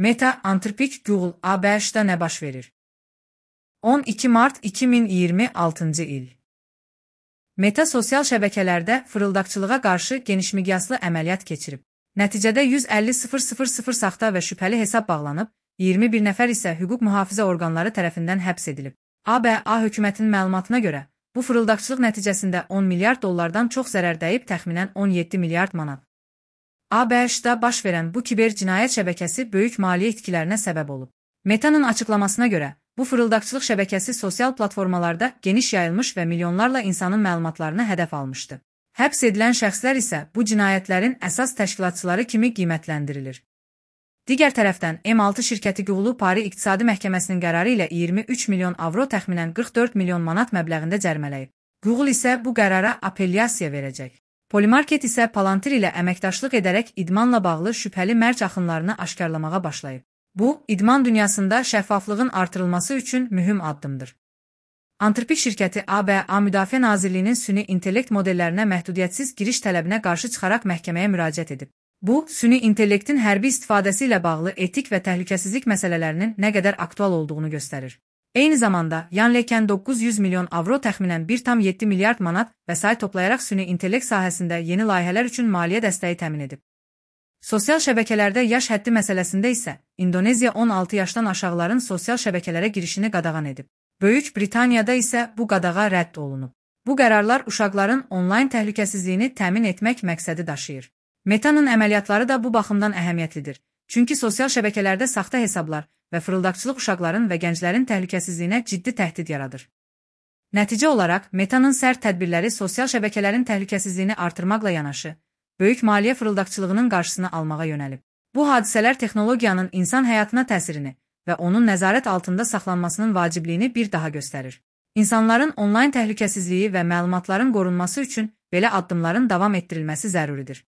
Meta, antrepik Google, ABŞ-da nə baş verir? 12 mart 2026 il. Meta sosial şəbəkələrdə fırıldaqçılığa qarşı genişmiqyaslı əməliyyat keçirib. Nəticədə 150.000 saxta və şübhəli hesab bağlanıb, 21 nəfər isə hüquq mühafizə orqanları tərəfindən həbs edilib. ABA hökumətinin məlumatına görə, bu fırıldaqçılıq nəticəsində 10 milyard dollardan çox zərər dəyib, təxminən 17 milyard manat. ABŞ-da baş verən bu kiber cinayət şəbəkəsi böyük maliyyə itkilərinə səbəb olub. Meta'nın açıqlamasına görə, bu fırıldaqçılıq şəbəkəsi sosial platformalarda geniş yayılmış və milyonlarla insanın məlumatlarını hədəf almışdı. Həbs edilən şəxslər isə bu cinayətlərin əsas təşkilatçıları kimi qiymətləndirilir. Digər tərəfdən, M6 şirkəti Google Pari İqtisadi Məhkəməsinin qərarı ilə 23 milyon avro, təxminən 44 milyon manat məbləğində cərimələyib. Google isə bu qərara apellyasiya verəcək. Polymarket isə Palantir ilə əməkdaşlıq edərək idmanla bağlı şübhəli mərc axınlarını aşkarlamağa başlayıb. Bu, idman dünyasında şəffaflığın artırılması üçün mühüm addımdır. Antrepik şirkəti ABA Müdafiə Nazirliyinin süni intellekt modellərinə məhdudiyyətsiz giriş tələbinə qarşı çıxaraq məhkəməyə müraciət edib. Bu, süni intellektin hərbi istifadəsi ilə bağlı etik və təhlükəsizlik məsələlərinin nə qədər aktual olduğunu göstərir. Eyni zamanda, Yanleken 900 milyon avro, təxminən 1,7 milyard manat vəsait toplayaraq süni intellekt sahəsində yeni layihələr üçün maliyyə dəstəyi təmin edib. Sosial şəbəkələrdə yaş həddi məsələsində isə İndoneziya 16 yaşdan aşağıların sosial şəbəkələrə girişini qadağan edib. Böyük Britaniyada isə bu qadağa rədd olunub. Bu qərarlar uşaqların onlayn təhlükəsizliyini təmin etmək məqsədi daşıyır. Meta'nın əməliyyatları da bu baxımdan əhəmiyyətlidir. Çünki sosial şəbəkələrdə saxta hesablar və fırıldaqçılıq uşaqların və gənclərin təhlükəsizliyinə ciddi təhdid yaradır. Nəticə olaraq, Meta'nın sərt tədbirləri sosial şəbəkələrin təhlükəsizliyini artırmaqla yanaşı, böyük maliyyə fırıldaqçılığının qarşısını almağa yönəlib. Bu hadisələr texnologiyanın insan həyatına təsirini və onun nəzarət altında saxlanmasının vacibliyini bir daha göstərir. İnsanların onlayn təhlükəsizliyi və məlumatların qorunması üçün belə addımların davam etdirilməsi zəruridir.